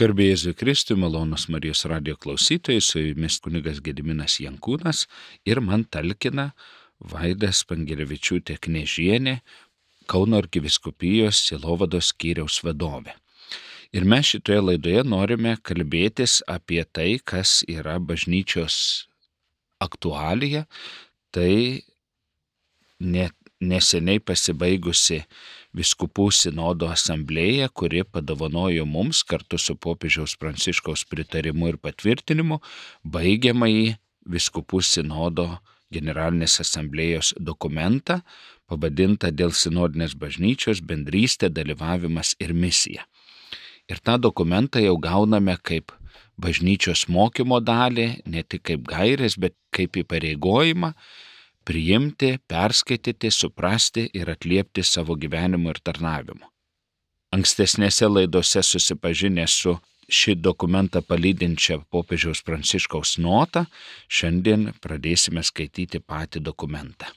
Garbė Jėzui Kristui, malonūs Marijos radijo klausytojai, su jumis kunigas Gediminas Jankūnas ir man talkina Vaida Spangelevičiūtė Knežienė, Kauno arkivyskupijos sielovados skyriaus vadovė. Ir mes šitoje laidoje norime kalbėtis apie tai, kas yra bažnyčios aktualija, tai neseniai pasibaigusi Vyskupų sinodo asamblėja, kuri padovanojo mums kartu su popiežiaus Pranciškaus pritarimu ir patvirtinimu baigiamąjį Vyskupų sinodo generalinės asamblėjos dokumentą, pavadintą Dėl sinodinės bažnyčios bendrystė, dalyvavimas ir misija. Ir tą dokumentą jau gauname kaip bažnyčios mokymo dalį, ne tik kaip gairės, bet kaip įpareigojimą priimti, perskaityti, suprasti ir atliepti savo gyvenimu ir tarnavimu. Ankstesnėse laidose susipažinę su šį dokumentą palydinčią popiežiaus Pranciškaus notą, šiandien pradėsime skaityti patį dokumentą.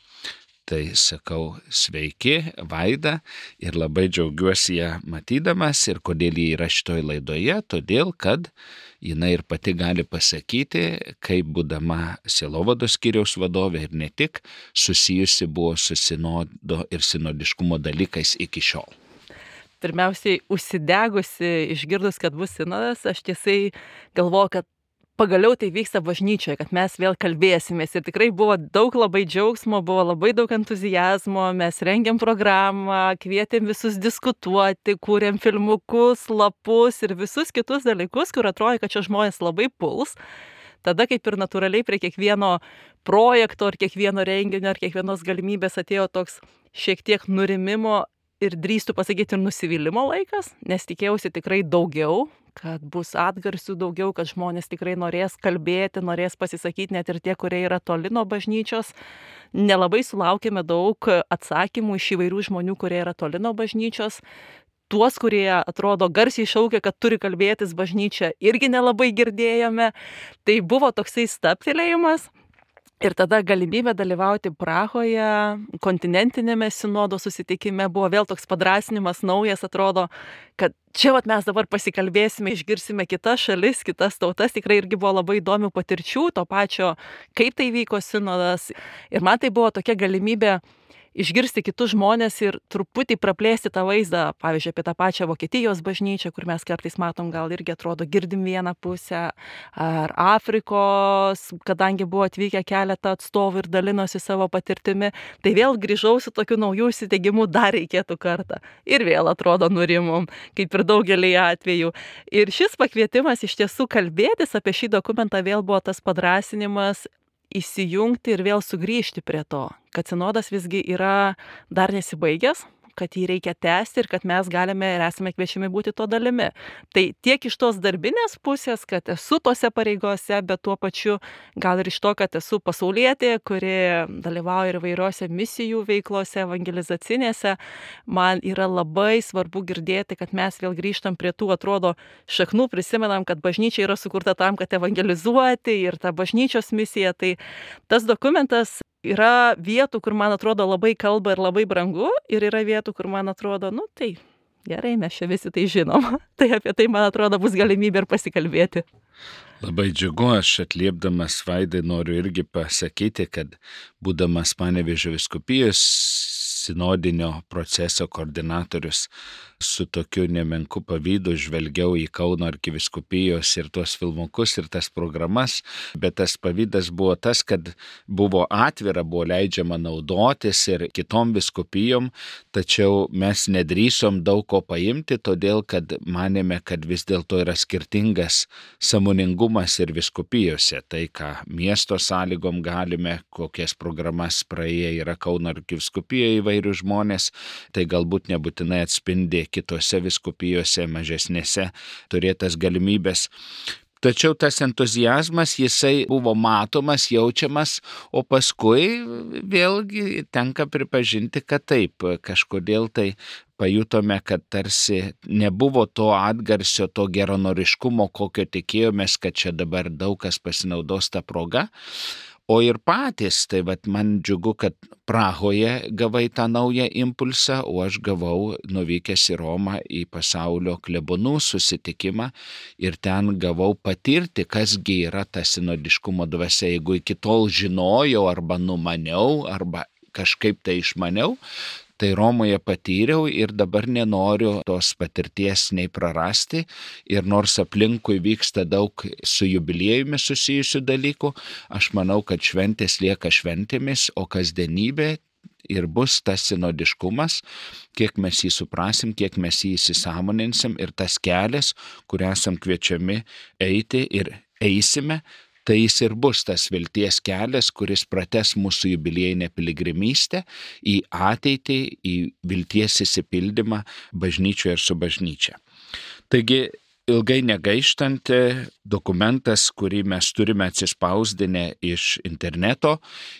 Tai sakau sveiki, Vaida, ir labai džiaugiuosi ją matydamas. Ir kodėl ji yra šitoje laidoje? Todėl, kad jinai ir pati gali pasakyti, kaip būdama sielovados skyriaus vadovė ir ne tik, susijusi buvo su sinodo ir sinodiškumo dalykais iki šiol. Pirmiausiai, užsidegusi, išgirdus, kad bus sinodas, aš tiesiai galvoju, kad pagaliau tai vyksta bažnyčioje, kad mes vėl kalbėsimės. Ir tikrai buvo daug labai džiaugsmo, buvo labai daug entuzijazmo, mes rengėm programą, kvietėm visus diskutuoti, kūrėm filmukus, lapus ir visus kitus dalykus, kur atrodo, kad čia žmonės labai puls. Tada kaip ir natūraliai prie kiekvieno projekto, ar kiekvieno renginio, ar kiekvienos galimybės atėjo toks šiek tiek nurimimo ir drįstu pasakyti ir nusivylimo laikas, nes tikėjausi tikrai daugiau, kad bus atgarsių daugiau, kad žmonės tikrai norės kalbėti, norės pasisakyti, net ir tie, kurie yra toli nuo bažnyčios. Nelabai sulaukėme daug atsakymų iš įvairių žmonių, kurie yra toli nuo bažnyčios. Tuos, kurie atrodo garsiai šaukia, kad turi kalbėtis bažnyčia, irgi nelabai girdėjome. Tai buvo toksai stabtelėjimas. Ir tada galimybė dalyvauti Prahoje, kontinentinėme sinodo susitikime, buvo vėl toks padrasinimas naujas, atrodo, kad čia mes dabar pasikalbėsime, išgirsime kitas šalis, kitas tautas, tikrai irgi buvo labai įdomių patirčių, to pačio, kaip tai vyko sinodas. Ir man tai buvo tokia galimybė išgirsti kitus žmonės ir truputį praplėsti tą vaizdą, pavyzdžiui, apie tą pačią Vokietijos bažnyčią, kur mes kartais matom, gal irgi atrodo girdim vieną pusę, ar Afrikos, kadangi buvo atvykę keletą atstovų ir dalinosi savo patirtimi, tai vėl grįžau su tokiu naujų įsiteigimu, dar reikėtų kartą. Ir vėl atrodo nurimom, kaip ir daugelį atvejų. Ir šis pakvietimas iš tiesų kalbėtis apie šį dokumentą vėl buvo tas padrasinimas įsijungti ir vėl sugrįžti prie to, kad sinodas visgi yra dar nesibaigęs, kad jį reikia tęsti ir kad mes galime ir esame kviečiami būti to dalimi. Tai tiek iš tos darbinės pusės, kad esu tose pareigose, bet tuo pačiu gal ir iš to, kad esu pasaulietė, kuri dalyvauja ir įvairiose misijų veiklose, evangelizacinėse, man yra labai svarbu girdėti, kad mes vėl grįžtam prie tų, atrodo, šaknų, prisimenam, kad bažnyčia yra sukurta tam, kad evangelizuoti ir ta bažnyčios misija. Tai tas dokumentas yra vietų, kur man atrodo labai kalba ir labai brangu, ir yra vietų, kur man atrodo, tai gerai, mes čia visi tai žinom. Tai apie tai, man atrodo, bus galimybė ir pasikalbėti. Labai džiugu, aš atliepdamas Vaidai noriu irgi pasakyti, kad būdamas Panevėžio vyskupijos sinodinio proceso koordinatorius, su tokiu nemenku pavydu žvelgiau į Kauno arkivyskupijos ir tuos filmukus ir tas programas, bet tas pavydas buvo tas, kad buvo atvira, buvo leidžiama naudotis ir kitom vyskupijom, tačiau mes nedrįsom daug ko paimti, todėl kad manėme, kad vis dėlto yra skirtingas sąmoningumas ir vyskupijose. Tai, ką miesto sąlygom galime, kokias programas praėję yra Kauno arkivyskupijoje įvairių žmonės, tai galbūt nebūtinai atspindi kitose vyskupijose mažesnėse turėtas galimybės. Tačiau tas entuziazmas, jisai buvo matomas, jaučiamas, o paskui vėlgi tenka pripažinti, kad taip, kažkodėl tai pajutome, kad tarsi nebuvo to atgarsio, to geranoriškumo, kokio tikėjomės, kad čia dabar daug kas pasinaudos tą progą. O ir patys, tai vat man džiugu, kad Prahoje gavai tą naują impulsą, o aš gavau nuvykęs į Romą į pasaulio klebonų susitikimą ir ten gavau patirti, kasgi yra ta sinodiškumo dvasia. Jeigu iki tol žinojau arba numaniau, arba kažkaip tai išmaniau, tai Romoje patyriau ir dabar nenoriu tos patirties nei prarasti. Ir nors aplinkui vyksta daug su jubiliejumi susijusių dalykų, aš manau, kad šventės lieka šventėmis, o kasdienybė ir bus tas sinodiškumas, kiek mes jį suprasim, kiek mes jį įsisąmoninsim ir tas kelias, kuriuo esam kviečiami eiti ir eisime, tai jis ir bus tas vilties kelias, kuris prates mūsų jubiliejinę piligrimystę į ateitį, į vilties įsipildymą bažnyčioje ir su bažnyčia. Taigi, ilgai negaištant, dokumentas, kurį mes turime atsispausdinę iš interneto,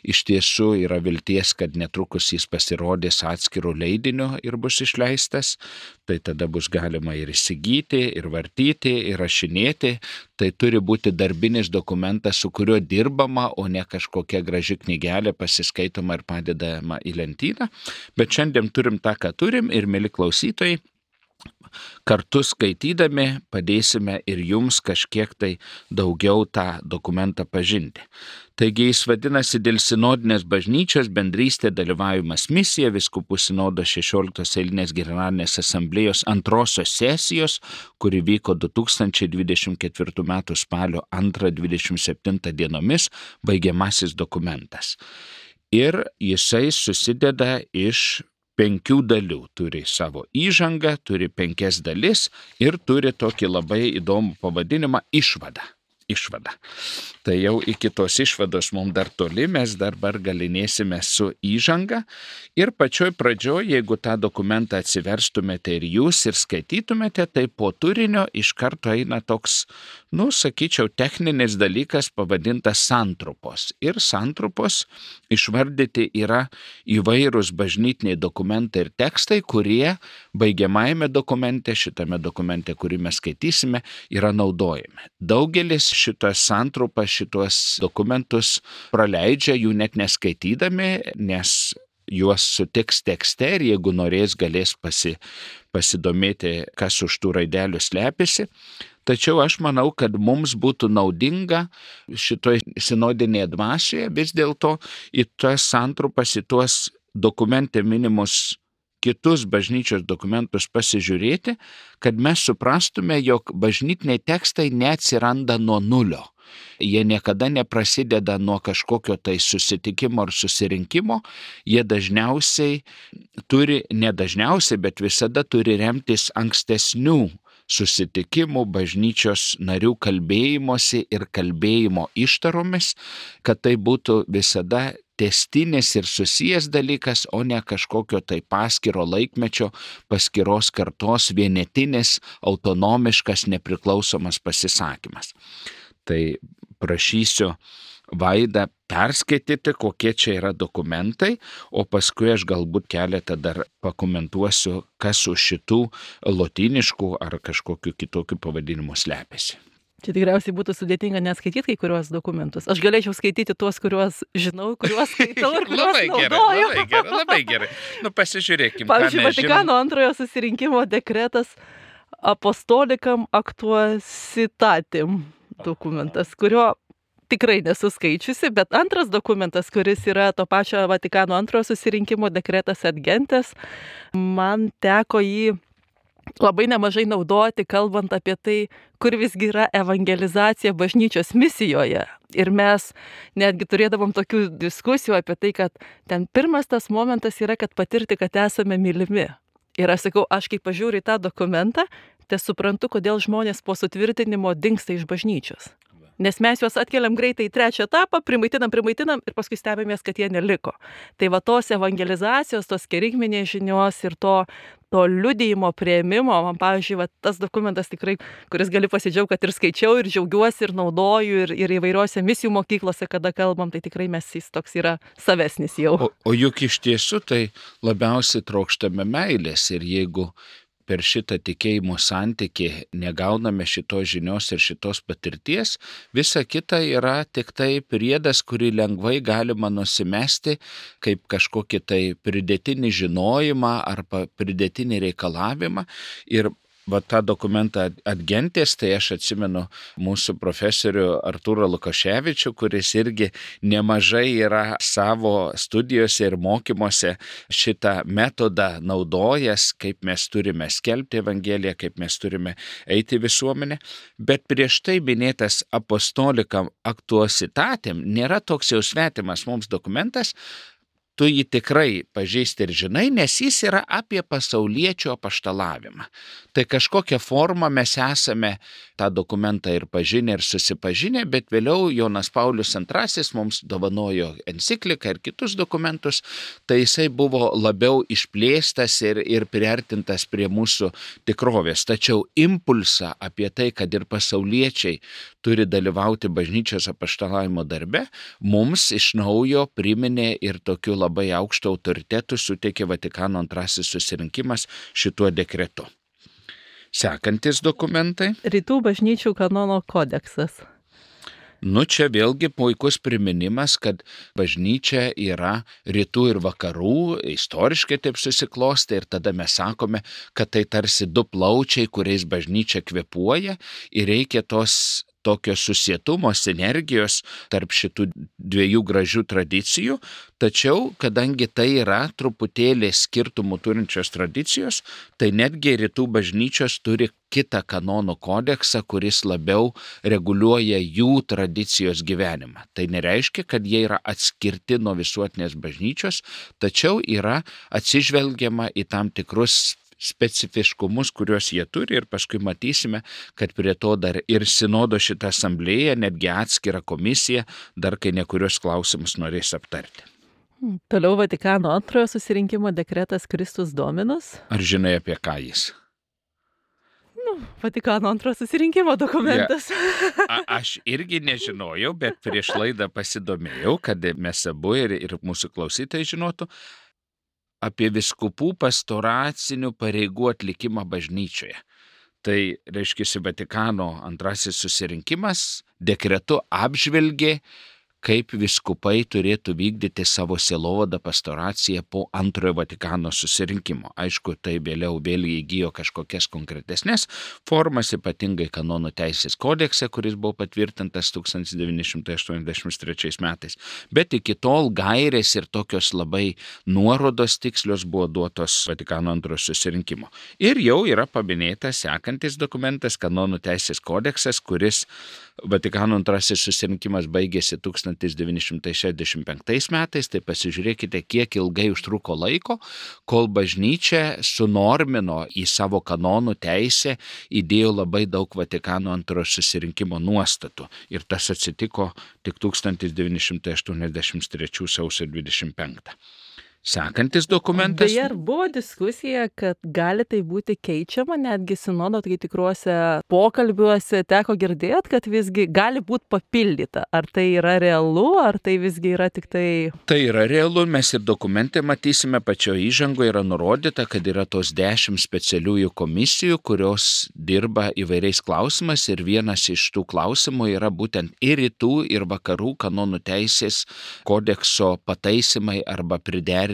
iš tiesų yra vilties, kad netrukus jis pasirodys atskirų leidinių ir bus išleistas, tai tada bus galima ir įsigyti, ir vartyti, ir rašinėti. Tai turi būti darbinis dokumentas, su kuriuo dirbama, o ne kažkokia graži knygelė pasiskaitoma ir padedama į lentyną. Bet šiandien turim tą, ką turim ir, mieli klausytojai, kartu skaitydami padėsime ir jums kažkiek tai daugiau tą dokumentą pažinti. Taigi jis vadinasi Dėl sinodinės bažnyčios bendrystė dalyvavimas misija Vyskupų sinodo 16 eilinės generalinės asamblėjos antrosios sesijos, kuri vyko 2024 m. spalio 2-27 dienomis, baigiamasis dokumentas. Ir jisai susideda iš 5 dalių, turi savo įžangą, turi 5 dalis ir turi tokį labai įdomų pavadinimą išvada. Tai jau iki tos išvados mums dar toli, mes dabar galinėsime su įžanga ir pačioj pradžioj, jeigu tą dokumentą atsiverstumėte ir jūs ir skaitytumėte, tai po turinio iš karto eina toks, sakyčiau, techninis dalykas pavadintas santrupos. Ir santrupos išvardyti yra įvairūs bažnytiniai dokumentai ir tekstai, kurie baigiamajame dokumente, šitame dokumente, kurį mes skaitysime, yra naudojami. Daugelis šitas santrupas, šitos dokumentus praleidžia, jų net neskaitydami, nes juos sutiks tekste ir jeigu norės, galės pasidomėti, kas už tų raidelių slepiasi. Tačiau aš manau, kad mums būtų naudinga šitoj sinodinėje dvasioje vis dėlto į tas santrupas, į tuos dokumente minimus kitus bažnyčios dokumentus pasižiūrėti, kad mes suprastume, jog bažnytiniai tekstai neatsiranda nuo nulio. Jie niekada neprasideda nuo kažkokio tai susitikimo ar susirinkimo, jie bet visada turi remtis ankstesnių susitikimų, bažnyčios narių kalbėjimosi ir kalbėjimo ištaromis, kad tai būtų visada tęstinis ir susijęs dalykas, o ne kažkokio tai paskiro laikmečio, paskiros kartos vienetinis, autonomiškas, nepriklausomas pasisakymas. Tai prašysiu Vaidą perskaityti, kokie čia yra dokumentai, o paskui aš galbūt keletą dar pakomentuosiu, kas už šitų lotyniškų ar kažkokių kitokių pavadinimų slepiasi. Čia tikriausiai būtų sudėtinga neskaityti kai kuriuos dokumentus. Aš galėčiau skaityti tuos, kuriuos žinau, kuriuos skaitau ir kuriuos naudoju. Labai gerai. Pasižiūrėkime. Pavyzdžiui, Vatikano antrojo susirinkimo dekretas Apostolikam Actuositatem dokumentas, kurio tikrai nesu skaičiusi, bet antras dokumentas, kuris yra to pačio Vatikano antrojo susirinkimo dekretas Ad Gentes, man teko jį labai nemažai naudoti, kalbant apie tai, kur visgi yra evangelizacija bažnyčios misijoje. Ir mes netgi turėdavom tokių diskusijų apie tai, kad ten pirmas tas momentas yra, kad patirti, kad esame mylimi. Ir aš sakau, aš kai pažiūriu į tą dokumentą, tai suprantu, kodėl žmonės po sutvirtinimo dingsta iš bažnyčios. Nes mes juos atkeliam greitai į 3 etapą, primaitinam ir paskui stebimės, kad jie neliko. Tai va tos evangelizacijos, tos kerigminės žinios ir to liudijimo priėmimo, man pavyzdžiui, va, tas dokumentas tikrai, kuris gali pasidžiaugti, kad ir skaičiau, ir džiaugiuosi, ir naudoju, ir įvairiose misijų mokyklose, kada kalbam, tai tikrai jis toks yra savesnis jau. O juk iš tiesų tai labiausiai trokštame meilės ir jeigu per šitą tikėjimo santykį negauname šitos žinios ir šitos patirties, visa kita yra tik tai priedas, kurį lengvai galima nusimesti kaip kažkokį tai pridėtinį žinojimą arba pridėtinį reikalavimą. Ir va tą dokumentą Adgentės, tai aš atsimenu mūsų profesorių Artūrą Lukoševičių, kuris irgi nemažai yra savo studijose ir mokymuose šitą metodą naudojęs, kaip mes turime skelbti Evangeliją, kaip mes turime eiti į visuomenę. Bet prieš tai minėtas apostolikam aktuositatem nėra toks jau svetimas mums dokumentas. Tu jį tikrai pažįsti ir žinai, nes jis yra apie pasauliečio apaštalavimą. Tai kažkokią formą mes esame tą dokumentą ir pažinę, ir susipažinę, bet vėliau Jonas Paulius II mums dovanojo encikliką ir kitus dokumentus, tai jisai buvo labiau išplėstas ir priartintas prie mūsų tikrovės. Tačiau impulsą apie tai, kad ir pasauliečiai turi dalyvauti bažnyčios apaštalavimo darbe, mums iš naujo priminė ir tokiu labai aukšto autoritetų suteikė Vatikano antrasis susirinkimas šituo dekretu. Sekantis dokumentai. Rytų bažnyčių kanono kodeksas. Čia vėlgi puikus priminimas, kad bažnyčia yra rytų ir vakarų, istoriškai taip susiklostė ir tada mes sakome, kad tai tarsi du plaučiai, kuriais bažnyčia kvėpuoja ir reikia tos tokio susietumo, sinergijos tarp šitų dviejų gražių tradicijų, tačiau kadangi tai yra truputėlį skirtumų turinčios tradicijos, tai netgi rytų bažnyčios turi kitą kanonų kodeksą, kuris labiau reguliuoja jų tradicijos gyvenimą. Tai nereiškia, kad jie yra atskirti nuo visuotinės bažnyčios, tačiau yra atsižvelgiama į tam tikrus specifiškumus, kuriuos jie turi ir paskui matysime, kad prie to dar ir sinodo šitą asamblėją, netgi atskira komisija, dar kai nekurios klausimus norės aptarti. Toliau Vatikano antrojo susirinkimo dekretas Kristus Dominus. Ar žinai apie ką jis? Vatikano antrojo susirinkimo dokumentas. Aš irgi nežinojau, bet prieš laidą pasidomėjau, kad mes abu ir mūsų klausytojai žinotų apie vyskupų pastoracinių pareigų atlikimą bažnyčioje. Tai reiškia, Vatikano antrasis susirinkimas dekretu apžvelgė, kaip vyskupai turėtų vykdyti savo sielovadą pastoraciją po antrojo Vatikano susirinkimo. Aišku, tai vėliau įgijo kažkokias konkretesnės formas, ypatingai kanonų teisės kodekse, kuris buvo patvirtintas 1983 metais. Bet iki tol gairės ir tokios labai nuorodos tikslios buvo duotos Vatikano antrojo susirinkimo. Ir jau yra paminėtas sekantis dokumentas, kanonų teisės kodeksas, kuris Vatikano antrasis susirinkimas baigėsi 1965 metais, tai pasižiūrėkite, kiek ilgai užtruko laiko, kol bažnyčia sunormino į savo kanonų teisę, įdėjo labai daug Vatikano antrojo susirinkimo nuostatų. Ir tas atsitiko tik 1983 sausio 25. Sekantis dokumentas. Beje, ar buvo diskusija, kad gali tai būti keičiama, netgi sinodo tai tikruose pokalbiuose teko girdėti, kad visgi gali būti papildyta. Ar tai yra realu, ar tai visgi yra tik tai... Tai yra realu, mes ir dokumente matysime, pačioje įžangoje yra nurodyta, kad yra tos 10 specialiųjų komisijų, kurios dirba įvairiais klausimais ir vienas iš tų klausimų yra būtent ir rytų, ir vakarų kanonų teisės kodekso pataisimai arba priderinimai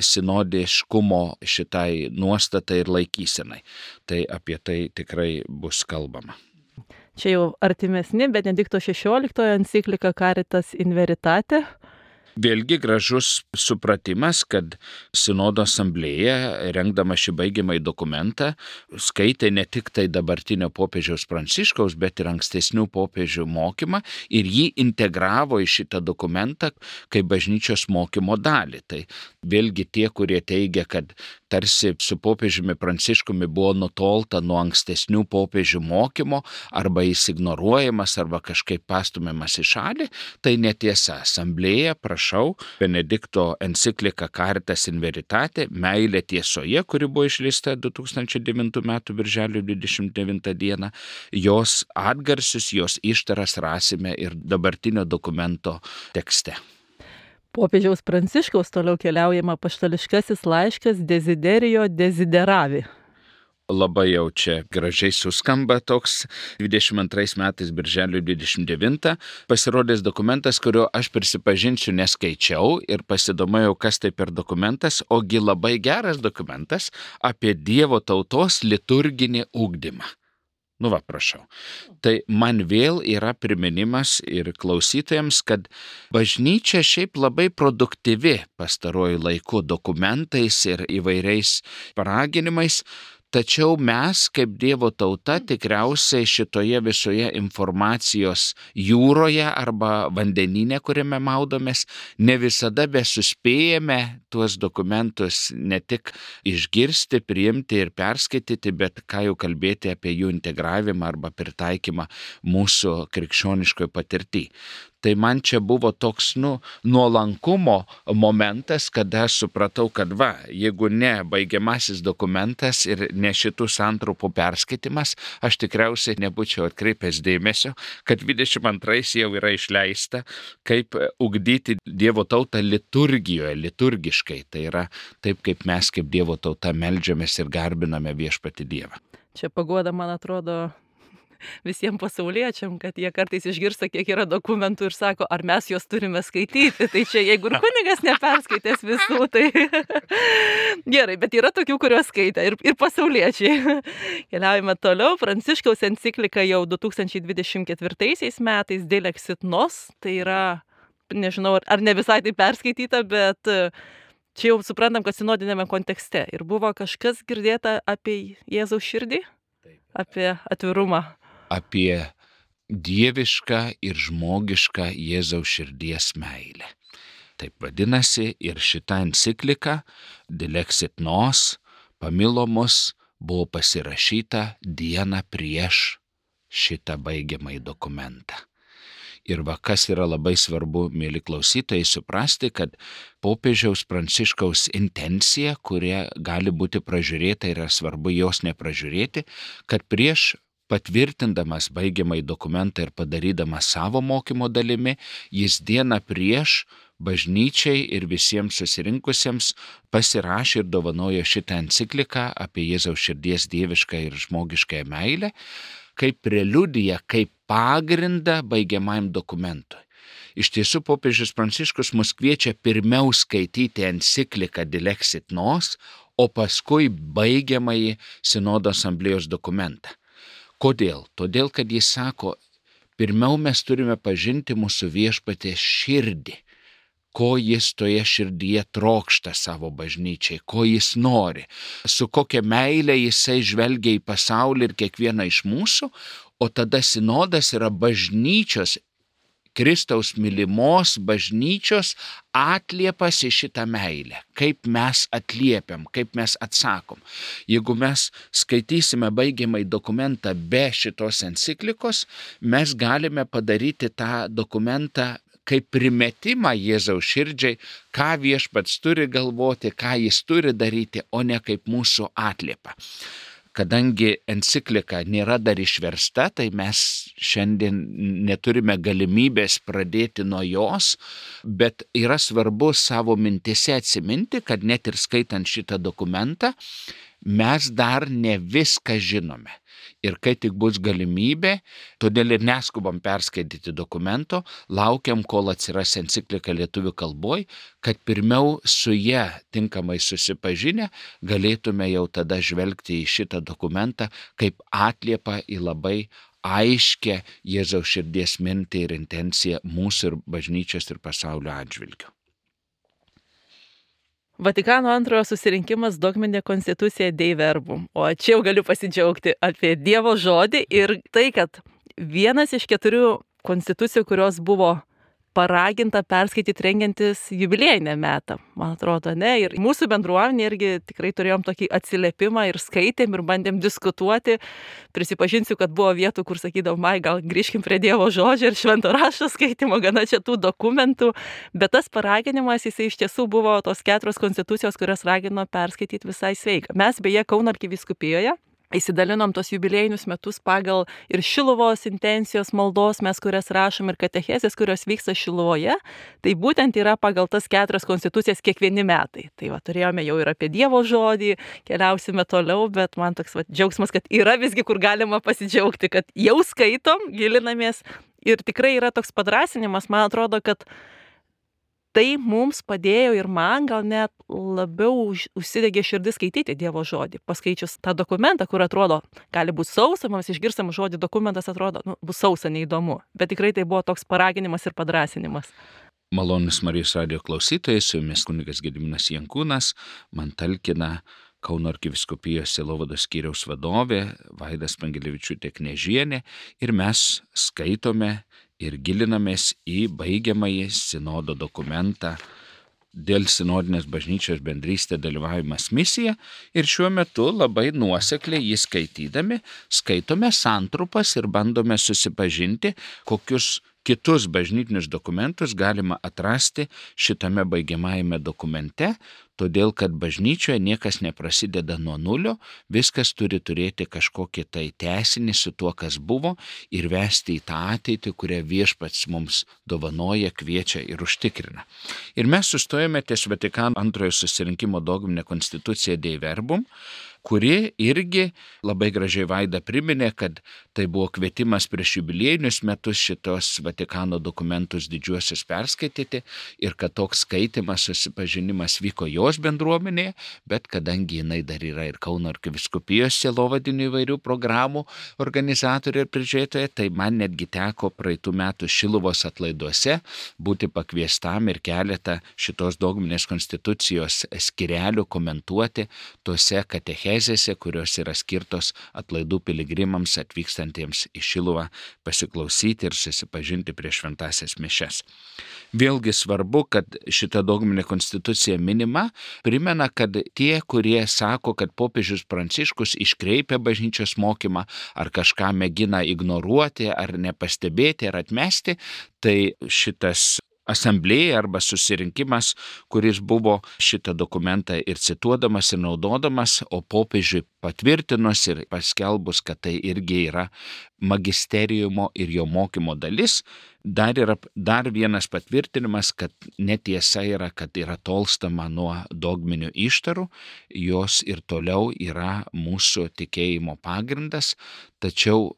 sinodiškumo šitai nuostatai ir laikysenai. Tai apie tai tikrai bus kalbama. Čia jau artimesni, Benedikto XVI enciklika Caritas in Veritate. Vėlgi gražus supratimas, kad sinodo asamblėja, rengdama šį baigiamąjį dokumentą, skaitė ne tik tai dabartinio popiežiaus Pranciškaus, bet ir ankstesnių popiežių mokymą ir jį integravo į šitą dokumentą kaip bažnyčios mokymo dalį. Tai vėlgi tie, kurie teigia, kad tarsi su popiežiumi Pranciškumi buvo nutolta nuo ankstesnių popiežių mokymo, arba jis ignoruojamas, arba kažkaip pastumiamas į šalį, tai netiesa. Asamblėja, prašau, Benedikto enciklika Caritas in Veritate, meilė tiesoje, kuri buvo išleista 2009 m. birželio 29 d. Jos atgarsius, jos ištaras rasime ir dabartinio dokumento tekste. Popiežiaus Pranciškaus toliau keliaujama apaštališkasis laiškas Desiderijo Desideravi. labai jau čia gražiai suskamba toks 22 metais birželio 29 pasirodęs dokumentas, kurio aš prisipažinsiu neskaičiau ir pasidomėjau, kas tai per dokumentas, ogi labai geras dokumentas apie Dievo tautos liturginį ugdymą. Nu va, prašau. Tai man vėl yra priminimas ir klausytojams, kad bažnyčia šiaip labai produktyvi pastaruoju laiku dokumentais ir įvairiais paraginimais, tačiau mes, kaip Dievo tauta, tikriausiai šitoje visoje informacijos jūroje arba vandenyne, kuriame maudomės, ne visada besuspėjame tuos dokumentus ne tik išgirsti, priimti ir perskaityti, bet ką jau kalbėti apie jų integravimą arba pritaikymą mūsų krikščioniškoje patirtyje. Tai man čia buvo toks, nuolankumo momentas, kada aš supratau, kad jeigu ne baigiamasis dokumentas ir ne šitų santrupų perskaitimas, aš tikriausiai nebūčiau atkreipęs dėmesio, kad 22 jau yra išleista, kaip ugdyti Dievo tautą liturgijoje, liturgiškai. Tai yra taip, kaip mes kaip Dievo tauta meldžiamės ir garbiname viešpatį Dievą. Čia paguoda, man atrodo, visiems pasauliečiam, kad jie kartais išgirsta, kiek yra dokumentų ir sako, ar mes juos turime skaityti. Tai čia, jeigu ir kunigas neperskaitęs visų, tai gerai, bet yra tokių, kuriuos skaitė ir pasauliečiai. Keliaujame toliau. Pranciškaus enciklika jau 2024 metais Dei Lexit Nos, tai yra, nežinau, ar ne visai tai perskaityta, bet čia jau suprantam, kad sinodinėme kontekste. Ir buvo kažkas girdėta apie Jėzaus širdį, apie atvirumą. Apie dievišką ir žmogišką Jėzaus širdies meilę. Taip vadinasi ir šita enciklika Dei Lexit Nos, pamilo mus, buvo pasirašyta dieną prieš šitą baigiamąjį dokumentą. Ir kas yra labai svarbu, mėly klausytojai, suprasti, kad popiežiaus Pranciškaus intencija, kuria gali būti pražiūrėta, yra svarbu jos nepražiūrėti, kad prieš patvirtindamas baigiamąjį dokumentą ir padarydamas savo mokymo dalimi, jis dieną prieš bažnyčiai ir visiems susirinkusiems pasirašė ir dovanojo šitą encikliką apie Jėzaus širdies dievišką ir žmogiškąją meilę, kaip preliudiją, kaip pagrindą baigiamajam dokumentui. Iš tiesų, popiežius Pranciškus mus kviečia pirmiau skaityti encikliką Dei Lexit Nos, o paskui baigiamąjį Sinodo asamblėjos dokumentą. Kodėl? Todėl, kad jis sako, pirmiau mes turime pažinti mūsų viešpaties širdį, ko jis toje širdyje trokšta savo bažnyčiai, ko jis nori, su kokia meile jisai žvelgia į pasaulį ir kiekvieną iš mūsų, o tada sinodas yra bažnyčios, Kristaus mylimos bažnyčios atliepas į šitą meilę, kaip mes atliepiam, kaip mes atsakom. Jeigu mes skaitysime baigiamąjį dokumentą be šitos enciklikos, mes galime padaryti tą dokumentą kaip primetimą Jėzaus širdžiai, ką viešpats turi galvoti, ką jis turi daryti, o ne kaip mūsų atliepą. Kadangi enciklika nėra dar išversta, tai mes šiandien neturime galimybės pradėti nuo jos, bet yra svarbu savo mintise atsiminti, kad net ir skaitant šitą dokumentą, mes dar ne viską žinome. Ir kai tik bus galimybė, todėl ir neskubam perskaityti dokumento, laukiam, kol atsiras enciklika lietuvių kalboj, kad pirmiau su ja tinkamai susipažinę galėtume jau tada žvelgti į šitą dokumentą kaip atliepą į labai aiškę Jėzaus širdies mintį ir intenciją mūsų ir bažnyčios ir pasaulio atžvilgiu. Vatikano antrojo susirinkimas dogminė konstitucija Dei Verbum. O čia jau galiu pasidžiaugti apie Dievo žodį ir tai, kad vienas iš 4 konstitucijų, kurios buvo paraginta perskaityti rengiantis jubiliejinę metą, man atrodo, ne? Ir mūsų bendruomenė irgi tikrai turėjom tokį atsiliepimą ir skaitėm ir bandėm diskutuoti. Prisipažinsiu, kad buvo vietų, kur sakydavom, gal grįžkim prie Dievo žodžio ir švento rašto skaitimo, gana čia tų dokumentų. Bet tas paraginimas, jisai iš tiesų buvo tos 4 konstitucijos, kurias ragino perskaityti visai sveika. Mes beje Kauno arkivyskupijoje įsidalinom tos jubiliejinius metus pagal ir Šiluvos intencijos maldos, mes kurias rašom, ir katechezės, kurios vyksta Šiluvoje, tai būtent yra pagal tas 4 konstitucijas kiekvieni metai. Tai va, turėjome jau ir apie Dievo žodį, keliausime toliau, bet man toks džiaugsmas, kad yra visgi, kur galima pasidžiaugti, kad jau skaitom, gilinamės ir tikrai yra toks padrąsinimas, man atrodo, kad tai mums padėjo ir man gal net labiau užsidegė širdis skaityti Dievo žodį. Paskaičius tą dokumentą, kur atrodo, gali būti sausa, mes išgirstam žodį, dokumentas atrodo, bus sausa, neįdomu. Bet tikrai tai buvo toks paraginimas ir padrąsinimas. Malonus Marijos radijo klausytojai, su jumis kunigas Gediminas Jankūnas, man talkina Kauno arkivyskupijos sielovados skyriaus vadovė Vaida Spangelevičiūtė Knežienė ir mes skaitome ir gilinamės į baigiamąjį sinodo dokumentą dėl sinodinės bažnyčios bendrystė dalyvavimas misija ir šiuo metu labai nuosekliai jį skaitydami skaitome santrupas ir bandome susipažinti, kokius kitus bažnytinius dokumentus galima atrasti šitame baigiamajame dokumente, todėl kad bažnyčioje niekas neprasideda nuo nulio, viskas turi turėti kažkokį tai tęsinį su tuo, kas buvo ir vesti į tą ateitį, kurią viešpats mums dovanoja, kviečia ir užtikrina. Ir mes sustojame ties Vatikano antrojo susirinkimo dogminė konstitucija Dei Verbum, kuri irgi labai gražiai Vaida priminė, kad tai buvo kvietimas prieš jubiliejinius metus šitos Vatikano dokumentus didžiuosius perskaityti ir kad toks skaitimas, susipažinimas vyko jos bendruomenėje, bet kadangi jinai dar yra ir Kauno arkivyskupijos sielovadinių įvairių programų organizatorė ir prižiūrėtoja, tai man netgi teko praeitų metų Šiluvos atlaiduose būti pakviestam ir keletą šitos dogminės konstitucijos skyrelių komentuoti tose katechezėse, kurios yra skirtos atlaidų piligrimams atvykstantiems į Šiluvą pasiklausyti ir susipažinti prieš šventąsias mišias. Vėlgi svarbu, kad šita dogminė konstitucija minima, primena, kad tie, kurie sako, kad popiežius Pranciškus iškreipia bažnyčios mokymą ar kažką mėgina ignoruoti ar nepastebėti ar atmesti, tai šitas asamblėja arba susirinkimas, kuris buvo šitą dokumentą ir cituodamas ir naudodamas, o popiežiui patvirtinus ir paskelbus, kad tai irgi yra magisteriumo ir jo mokymo dalis, dar vienas patvirtinimas, kad netiesa yra, kad yra tolstama nuo dogminių ištarų, jos ir toliau yra mūsų tikėjimo pagrindas, tačiau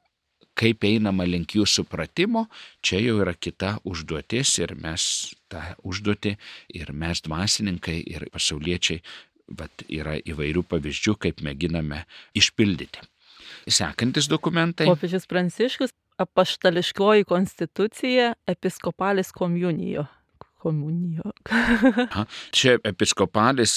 kaip einama link jų supratimo, čia jau yra kita užduotis ir mes tą užduotį ir mes dvasininkai ir pasauliečiai, yra įvairių pavyzdžių, kaip mėginame išpildyti. Sekantis dokumentai. Popiežius Pranciškus, apaštališkoji konstitucija, episkopalis komunijo. Čia episkopalis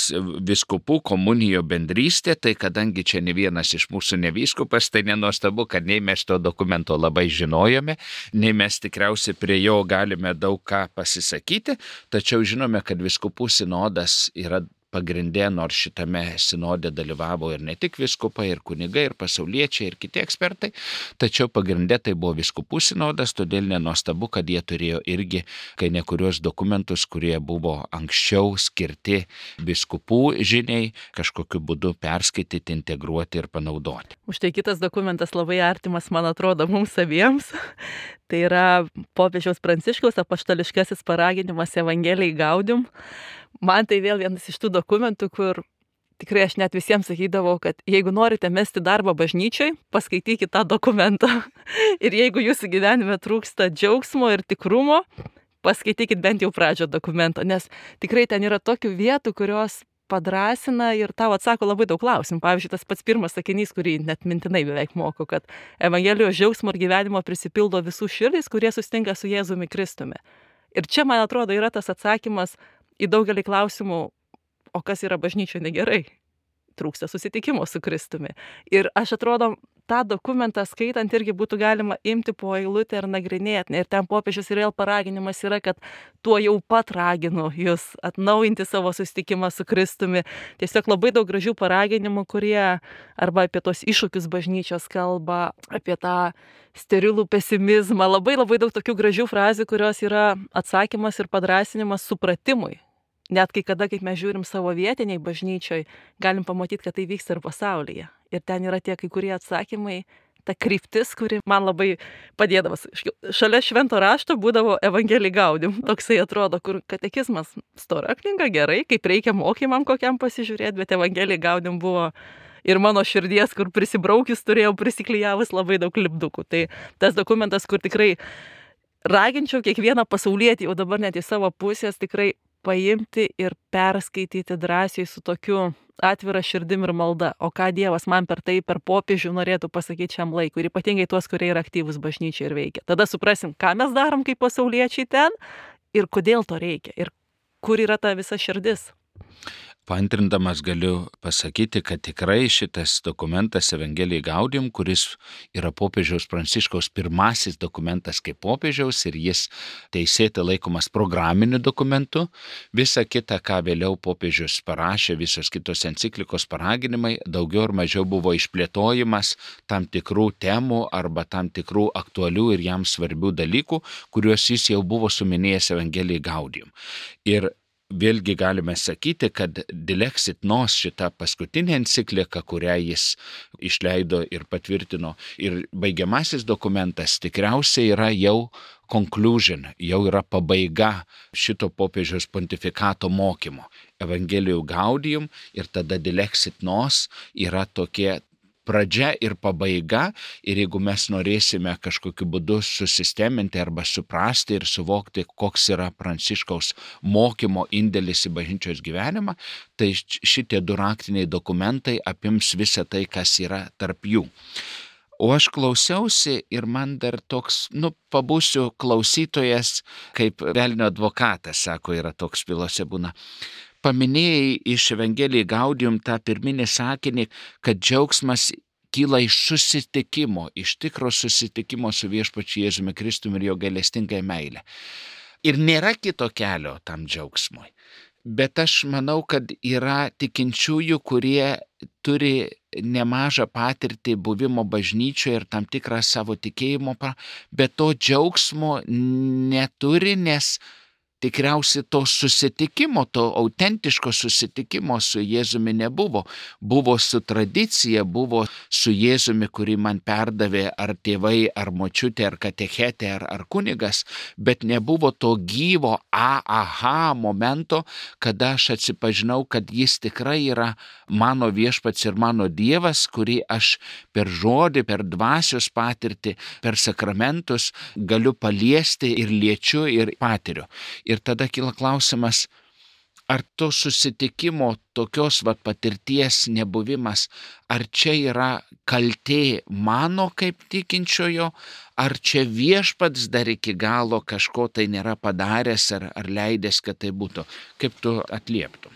vyskupų komunijo bendrystė, tai kadangi čia ne vienas iš mūsų ne vyskupas, tai nenuostabu, kad nei mes to dokumento labai žinojome, nei mes tikriausiai prie jo galime daug ką pasisakyti, tačiau žinome, kad vyskupų sinodas yra pagrindė, nors šitame sinode dalyvavo ir ne tik vyskupai, ir kunigai, ir pasauliečiai, ir kiti ekspertai, tačiau pagrindė tai buvo vyskupų sinodas, todėl nenuostabu, kad jie turėjo irgi kai nekurios dokumentus, kurie buvo anksčiau skirti vyskupų žiniai, kažkokiu būdu perskaityti, integruoti ir panaudoti. Užtai kitas dokumentas labai artimas, man atrodo, mums abiems. Tai yra popiežiaus Pranciškaus apaštališkasis paraginimas Evangelijai Gaudium. Man tai vėl vienas iš tų dokumentų, kur tikrai aš net visiems sakydavau, kad jeigu norite mesti darbą bažnyčiai, paskaitykite tą dokumentą. Ir jeigu jūsų gyvenime trūksta džiaugsmo ir tikrumo, paskaitykite bent jau pradžią dokumento, nes tikrai ten yra tokių vietų, kurios padrąsina ir tau atsako labai daug klausimų. Pavyzdžiui, tas pats pirmas sakinys, kurį net mintinai beveik moku, kad Evangelijos džiaugsmo ir gyvenimo prisipildo visų širdys, kurie susitinka su Jėzumi Kristumi. Ir čia, man atrodo, yra tas atsakymas į daugelį klausimų, o kas yra bažnyčioje negerai. Trūksta susitikimo su Kristumi. Ir aš atrodo, tą dokumentą skaitant irgi būtų galima imti po eilutę ir nagrinėti. Ir ten popiežius ir vėl paraginimas yra, kad tuo jau pat raginu jūs atnaujinti savo susitikimą su Kristumi. Tiesiog labai daug gražių paraginimų, kurie arba apie tos iššūkius bažnyčios kalba, apie tą sterilų pesimizmą. Labai daug tokių gražių frazių, kurios yra atsakymas ir padrąsinimas supratimui. Net kai kada, kaip mes žiūrim savo vietiniai bažnyčioj, galim pamatyti, kad tai vyksta ir pasaulyje. ir ten yra tie kai kurie atsakymai, ta kryptis, kuri man labai padėdavo. Šalia švento rašto būdavo Evangelija Gaudium, toksai atrodo, kur katekizmas stora knyga, gerai, kaip reikia mokymam kokiam pasižiūrėti, bet Evangelija Gaudium buvo ir mano širdies, kur prisibraukis turėjau prisiklijavus labai daug lipdukų. Tai tas dokumentas, kur tikrai raginčiau kiekvieną pasaulietį, jau dabar net į savo pusės tikrai paimti ir perskaityti drąsiai su tokiu atvira širdim ir malda. O ką Dievas man per tai, per popiežių norėtų pasakyti šiam laikui. Ir ypatingai tuos, kurie yra aktyvūs bažnyčiai ir veikia. Tada suprasim, ką mes darom kaip pasauliečiai ten ir kodėl to reikia. Ir kur yra ta visa širdis. Paantrindamas galiu pasakyti, kad tikrai šitas dokumentas Evangelija Gaudium, kuris yra popiežiaus Pranciškaus pirmasis dokumentas kaip popiežiaus ir jis teisėtai laikomas programiniu dokumentu, visa kita, ką vėliau popiežius parašė, visos kitos enciklikos paraginimai, daugiau ar mažiau buvo išplėtojimas tam tikrų temų arba tam tikrų aktualių ir jam svarbių dalykų, kuriuos jis jau buvo suminėjęs Evangelija Gaudium. Ir vėlgi galime sakyti, kad Dilexit Nos, šita paskutinė enciklika, kurią jis išleido ir patvirtino, ir baigiamasis dokumentas tikriausiai yra jau conclusion, jau yra pabaiga šito popiežiaus pontifikato mokymo. Evangelija Gaudium ir tada Dilexit Nos yra tokie pradžia ir pabaiga, ir jeigu mes norėsime kažkokiu būdu susisteminti arba suprasti ir suvokti, koks yra Pranciškaus mokymo indėlis į bažnyčios gyvenimą, tai šitie du raktiniai dokumentai apims visą tai, kas yra tarp jų. O aš klausiausi ir man dar toks, pabūsiu klausytojas, kaip velnio advokatas, sako, yra toks bylose būna. Paminėjai iš Evangelija Gaudium tą pirminį sakinį, kad džiaugsmas kyla iš susitikimo, iš tikro susitikimo su viešpačiu Jėzumi Kristumi ir jo gailestingąją meilę. Ir nėra kito kelio tam džiaugsmui. Bet aš manau, kad yra tikinčiųjų, kurie turi nemažą patirtį buvimo bažnyčioje ir tam tikrą savo tikėjimo, bet to džiaugsmo neturi, nes tikriausiai to susitikimo, to autentiško susitikimo su Jėzumi nebuvo. Buvo su tradicija, buvo su Jėzumi, kurį man perdavė ar tėvai, ar močiutė, ar katechetė, ar kunigas, bet nebuvo to gyvo aha momento, kada aš atsipažinau, kad jis tikrai yra mano viešpats ir mano Dievas, kurį aš per žodį, per dvasios patirtį, per sakramentus galiu paliesti ir liečiu ir patiriu. Ir tada kyla klausimas, ar to susitikimo tokios patirties nebuvimas, ar čia yra kaltė mano kaip tikinčiojo, ar čia viešpats dar iki galo kažko tai nėra padaręs ar leidęs, kad tai būtų. Kaip tu atlieptum?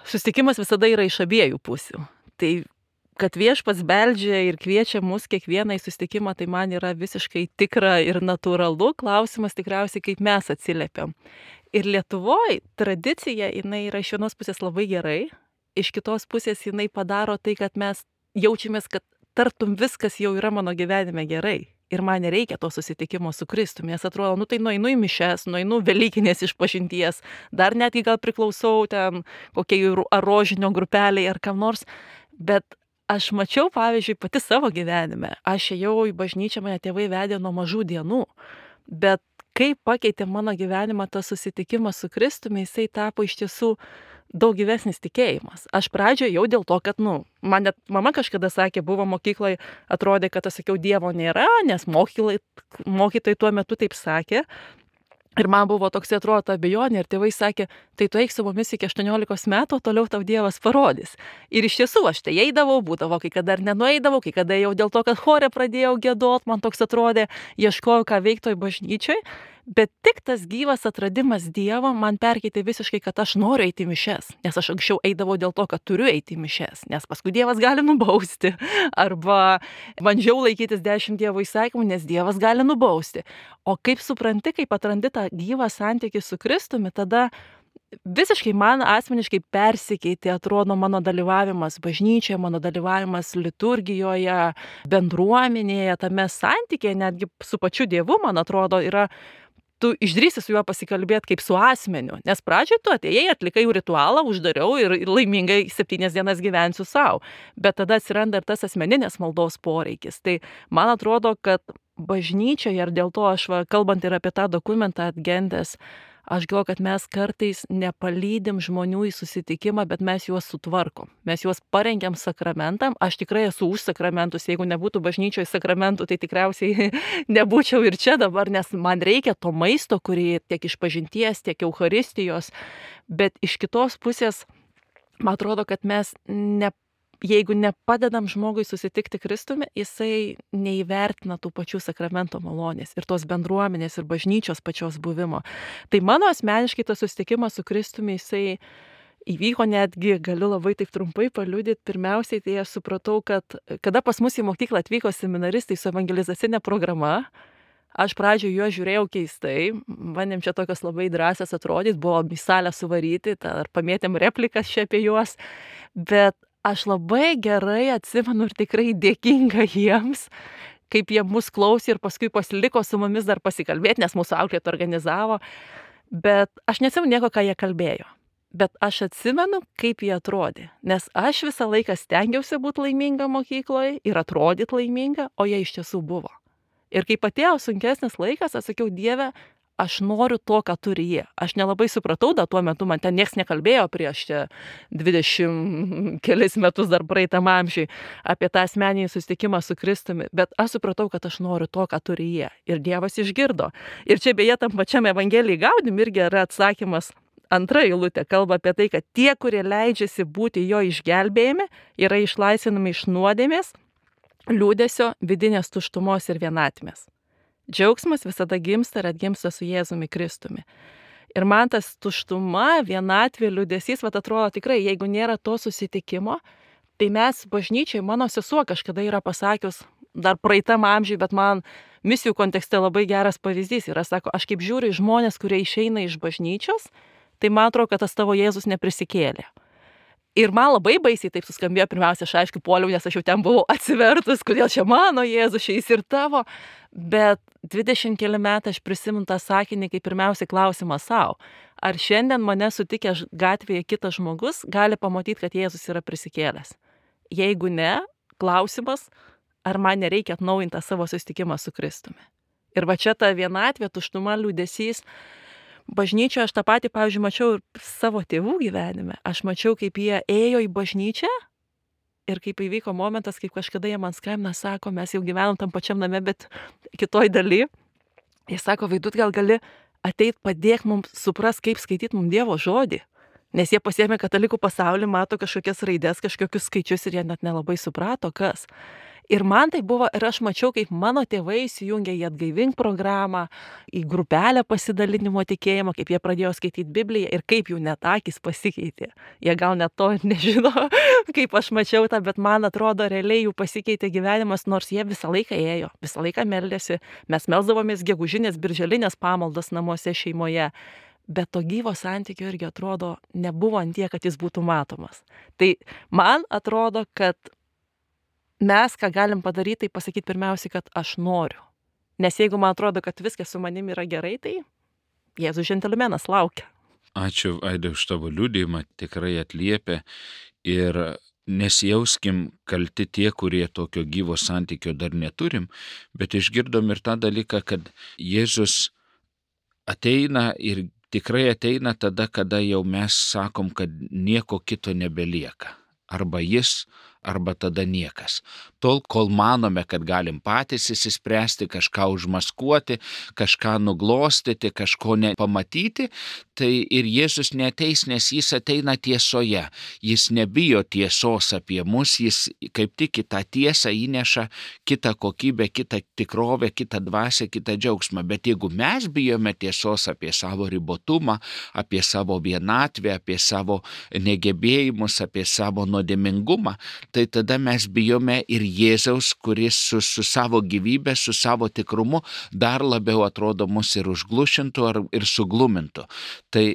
Susitikimas visada yra iš abiejų pusių. Tai kad viešpats beldžia ir kviečia mus kiekvieną į susitikimą, tai man yra visiškai tikra ir natūralu. Klausimas tikriausiai, kaip mes atsiliepiam. Ir Lietuvoje tradicija, jinai yra iš vienos pusės labai gerai, iš kitos pusės jinai padaro tai, kad mes jaučiamės, kad tartum viskas jau yra mano gyvenime gerai. Ir man nereikia to susitikimo su Kristumi. Nes atrodo, tai nueinu į mišes, nueinu Velykinės išpažinties, dar netgi gal priklausau ten kokiai ar rožinio grupeliai ar kam nors, bet aš mačiau, pavyzdžiui, pati savo gyvenime. Aš ėjau į bažnyčią, mane tėvai vedė nuo mažų dienų. Bet kaip pakeitė mano gyvenimą tas susitikimas su Kristumi, jisai tapo iš tiesų daug gyvesnis tikėjimas. Aš pradžioje jau dėl to, kad, man net mama kažkada sakė, buvo mokykloje, atrodė, kad aš sakiau, Dievo nėra, nes mokytojai tuo metu taip sakė. Ir man buvo toks, atrodo, abejonė, ir tėvai sakė, tai tu eik su mumis iki 18 metų, toliau tau Dievas parodys. Ir iš tiesų aš tai eidavau, būdavo, kai kada dar nenueidavau, kai kada jau dėl to, kad chore pradėjau giedot, man toks atrodė, ieškojau, ką veikti toj bažnyčioj. Bet tik tas gyvas atradimas Dievo man perkeitė visiškai, kad aš noriu eiti į mišes. Nes aš anksčiau eidavau dėl to, kad turiu eiti į mišes. Nes paskui Dievas gali nubausti. Arba bandžiau laikytis 10 Dievo įsakymų, nes Dievas gali nubausti. O kaip supranti, kaip atrandi tą gyvą santykį su Kristumi, tada visiškai man asmeniškai persikeitė, atrodo, mano dalyvavimas bažnyčioje, mano dalyvavimas liturgijoje, bendruomenėje, tame santykėje, netgi su pačiu Dievu, man atrodo, yra tu išdrįsi su juo pasikalbėti kaip su asmeniu. Nes pradžioje tu atėjai, atlikai ritualą, uždariau ir laimingai 7 dienas gyvensiu savo. Bet tada atsiranda ir tas asmeninės maldos poreikis. Tai man atrodo, kad bažnyčioje, ir dėl to aš, kalbant ir apie tą dokumentą Atgentes, aš galvoju, kad mes kartais nepalydim žmonių į susitikimą, bet mes juos sutvarkom. Mes juos parengiam sakramentam. Aš tikrai esu už sakramentus. Jeigu nebūtų bažnyčioje sakramentų, tai tikriausiai nebūčiau ir čia dabar, nes man reikia to maisto, kurį tiek išpažinties, tiek eucharistijos. Bet iš kitos pusės, man atrodo, kad mes jeigu nepadedam žmogui susitikti Kristumi, jisai neįvertina tų pačių sakramento malonės ir tos bendruomenės ir bažnyčios pačios buvimo. Tai mano asmeniškai tas susitikimas su Kristumi, jisai įvyko netgi, galiu labai taip trumpai paliudyti, pirmiausiai tai aš supratau, kad kada pas mus į mokyklą atvyko seminaristai su evangelizacinė programa, aš pradžioje juos žiūrėjau keistai, bandėm čia tokios labai drąsias atrodyti, buvo į salę suvaryti, ar pamėtėm replikas čia apie juos, bet aš labai gerai atsimenu ir tikrai dėkinga jiems, kaip jie mus klausė ir paskui pasiliko su mumis dar pasikalbėti, nes mūsų auklėtojai organizavo, bet aš neatsimenu nieko, ką jie kalbėjo. Bet aš atsimenu, kaip jie atrodė, nes aš visą laiką stengiausi būti laiminga mokykloje ir atrodyti laiminga, o jie iš tiesų buvo. Ir kai atėjo sunkesnis laikas, aš sakiau, Dieve, aš noriu to, ką turi jie. Aš nelabai supratau, tuo metu man ten nieks nekalbėjo prieš 20 kelis metus dar praeitam amžiui apie tą asmeninį susitikimą su Kristumi, bet aš supratau, kad aš noriu to, ką turi jie. Ir Dievas išgirdo. Ir čia beje tam pačiam Evangelijai Gaudim irgi yra atsakymas. Antra eilutė kalba apie tai, kad tie, kurie leidžiasi būti jo išgelbėjami, yra išlaisvinami iš nuodėmės, liūdesio, vidinės tuštumos ir vienatvės. Džiaugsmas visada gimsta ir atgimsta su Jėzumi Kristumi. Ir man tas tuštuma, vienatvė, liūdesys, atrodo tikrai, jeigu nėra to susitikimo, tai mes bažnyčiai, mano sesuo kažkada yra pasakius, dar praeitam amžiui, bet man misijų kontekste labai geras pavyzdys yra, sako, aš kaip žiūriu į žmonės, kurie išeina iš bažnyčios, tai man atrodo, kad tas tavo Jėzus neprisikėlė. Ir man labai baisiai taip suskambėjo, pirmiausia, aš aišku puoliau, nes aš jau ten buvau atsivertus, kodėl čia mano Jėzus, šiais ir tavo, bet 20 keli metai aš prisimenu tą sakinį kaip pirmiausia klausimą savo. Ar šiandien mane sutikęs gatvėje kitas žmogus gali pamatyti, kad Jėzus yra prisikėlęs? Jeigu ne, klausimas, ar man nereikia atnaujinti savo susitikimą su Kristumi. Ir va čia ta vienatvė, tuštuma, liūdesys. Bažnyčioje aš tą patį, pavyzdžiui, mačiau ir savo tėvų gyvenime. Aš mačiau, kaip jie ėjo į bažnyčią ir kaip įvyko momentas, kaip kažkada jie man skambina, sako, mes jau gyvenom tam pačiam name, bet kitoj daly. Jie sako, Vaidut, gal gali ateit padėk mums supras, kaip skaityti mums Dievo žodį. Nes jie pasiėmė katalikų pasaulį, mato kažkokias raides, kažkokius skaičius ir jie net nelabai suprato, kas. Ir man tai buvo, ir aš mačiau, kaip mano tėvai įsijungė į Atgaivink programą, į grupelę pasidalinimo tikėjimo, kaip jie pradėjo skaityti Bibliją ir kaip jų net akys pasikeitė. Jie gal net to nežino, kaip aš mačiau tą, bet man atrodo, realiai jų pasikeitė gyvenimas, nors jie visą laiką ėjo, visą laiką meldėsi. Mes melsdavomės gegužinės, birželinės pamaldas namuose šeimoje. Bet to gyvo santykio irgi atrodo nebuvo ant tiek, kad jis būtų matomas. Tai man atrodo, kad mes, ką galim padaryti, tai pasakyti pirmiausiai, kad aš noriu. Nes jeigu man atrodo, kad viskas su manimi yra gerai, tai Jėzus džentelmenas laukia. Ačiū, Aidai, už tavo liudijimą, tikrai atliepia ir nesijauskim kalti tie, kurie tokio gyvo santykio dar neturim, bet išgirdom ir tą dalyką, kad Jėzus ateina ir tikrai ateina tada, kada jau mes sakom, kad nieko kito nebelieka. Arba jis, arba tada niekas. Tol, kol manome, kad galim patys įsispręsti, kažką užmaskuoti, kažką nuglostyti, kažko nepamatyti, tai ir Jėzus neateis, nes jis ateina tiesoje. Jis nebijo tiesos apie mus, jis kaip tik į tą tiesą įneša kitą kokybę, kitą tikrovę, kitą dvasią, kitą džiaugsmą. Bet jeigu mes bijome tiesos apie savo ribotumą, apie savo vienatvę, apie savo negebėjimus, apie savo nuodėmingumą, tai tada mes bijome ir Jėzaus, kuris su savo gyvybė, su savo tikrumu dar labiau atrodo mus ir užglušintų ir suglumintų. Tai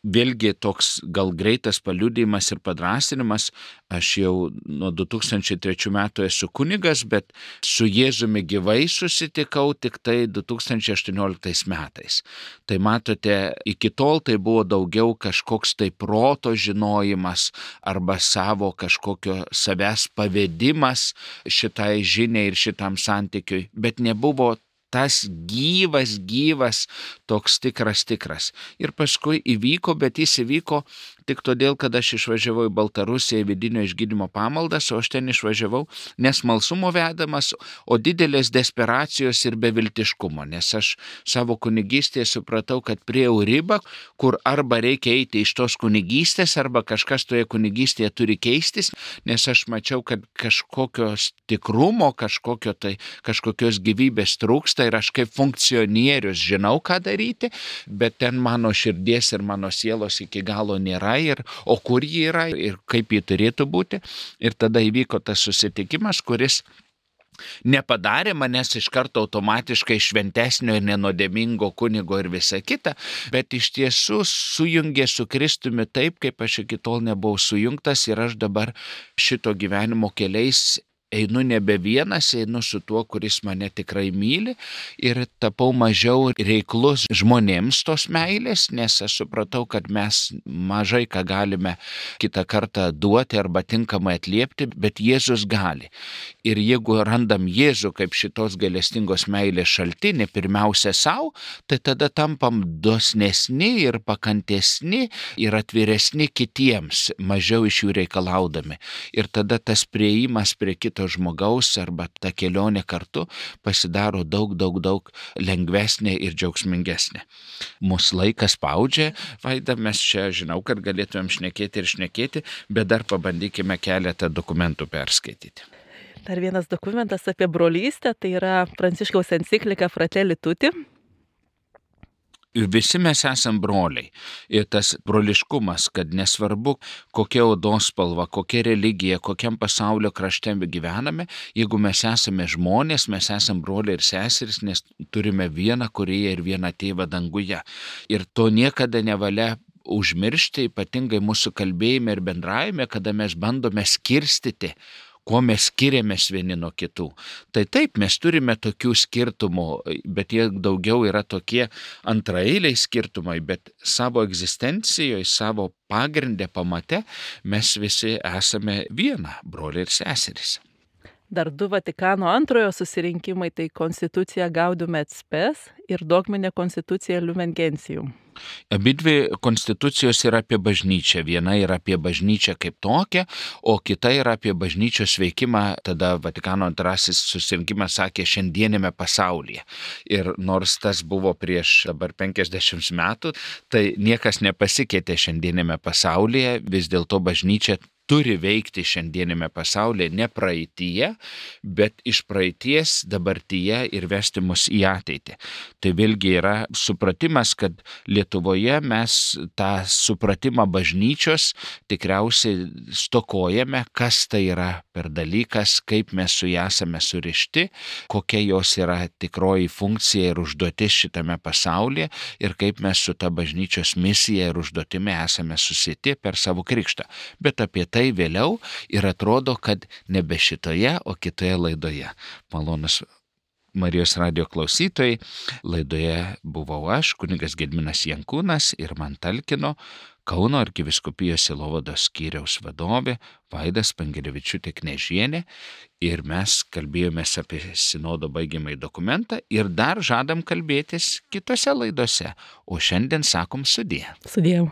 vėlgi toks gal greitas paliudijimas ir padrąsinimas. Aš jau nuo 2003 metų esu kunigas, bet su Jėzumi gyvai susitikau tik tai 2018 metais. Tai matote, iki tol tai buvo daugiau kažkoks tai proto žinojimas arba savo kažkokio savęs pavedimas šitai žiniai ir šitam santykiui, bet nebuvo tas gyvas, toks tikras. Ir paskui įvyko, bet jis įvyko tik todėl, kad aš išvažiavau į Baltarusiją į vidinio išgydymo pamaldas, o aš ten išvažiavau nesmalsumo vedamas, o didelės desperacijos ir beviltiškumo, nes aš savo kunigystėje supratau, kad priejau ribą, kur arba reikia eiti iš tos kunigystės, arba kažkas toje kunigystėje turi keistis, nes aš mačiau, kad kažkokios tikrumo, kažkokios gyvybės trūksta ir aš kaip funkcionierius žinau, ką daryti, bet ten mano širdies ir mano sielos iki galo nėra. O kur ji yra ir kaip ji turėtų būti. Ir tada įvyko tas susitikimas, kuris nepadarė manęs iš karto automatiškai šventesnio ir nenodėmingo kunigo ir visa kita, bet iš tiesų sujungė su Kristumi taip, kaip aš iki tol nebuvau sujungtas ir aš dabar šito gyvenimo keliais einu nebe vienas, einu su tuo, kuris mane tikrai myli ir tapau mažiau reiklus žmonėms tos meilės, nes aš supratau, kad mes mažai ką galime kitą kartą duoti arba tinkamai atliepti, bet Jėzus gali. Ir jeigu randam Jėzų kaip šitos gailestingos meilės šaltinį, pirmiausia savo, tai tada tampam dosnesni ir pakantesni ir atviresni kitiems, mažiau iš jų reikalaudami. Ir tada tas priėjimas prie kito žmogaus arba ta kelionė kartu pasidaro daug lengvesnė ir džiaugsmingesnė. Mūsų laikas spaudžia, Vaida, mes čia žinau, kad galėtumėm šnekėti, bet dar pabandykime keletą dokumentų perskaityti. Dar vienas dokumentas apie brolystę, tai yra Pranciškaus enciklika Fratelli Tutti. Visi mes esam broliai. Ir tas broliškumas, kad nesvarbu, kokia odos spalva, kokia religija, kokiam pasaulio krašte gyvename, jeigu mes esame žmonės, mes esam broliai ir seserys, nes turime vieną Kūrėją ir vieną Tėvą danguje. Ir to niekada nevalia užmiršti, ypatingai mūsų kalbėjime ir bendravime, kada mes bandome skirstyti, kuo mes skiriamės vieni nuo kitų. Tai taip, mes turime tokių skirtumų, bet jie daugiau yra tokie antraeiliai skirtumai, bet savo egzistencijoje, savo pagrindę pamate, mes visi esame viena, broliai ir seserys. Dar 2 Vatikano antrojo susirinkimai, tai konstitucija Gaudium et Spes ir dogminė konstitucija Lumen Gentium. Abidvi konstitucijos yra apie bažnyčią. Viena yra apie bažnyčią kaip tokią, o kita yra apie bažnyčios veikimą. Tada Vatikano antrasis susirinkimas sakė šiandienėme pasaulyje. Ir nors tas buvo prieš dabar 50 metų, tai niekas nepasikeitė šiandienėme pasaulyje. Vis dėlto bažnyčia turi veikti šiandienėme pasaulyje, ne praeityje, bet iš praeities dabartyje ir vesti mus į ateitį. Tai vėlgi yra supratimas, kad Lietuvoje mes tą supratimą bažnyčios tikriausiai stokojame, kas tai yra per dalykas, kaip mes su ja esame surišti, kokia jos yra tikroji funkcija ir užduotis šitame pasaulyje ir kaip mes su ta bažnyčios misija ir užduotimi esame susiti per savo krikštą. Bet apie tai vėliau ir atrodo, kad nebe šitoje, o kitoje laidoje. Malonus Marijos radijo klausytojai, laidoje buvau aš, kunigas Gediminas Jankūnas ir man talkino Kauno arkivyskupijos sielovados skyriaus vadovė Vaida Spangelevičiūtė Knežienė ir mes kalbėjomės apie sinodo baigiamąjį dokumentą ir dar žadam kalbėtis kitose laidose, o šiandien sakom sudie. Sudie.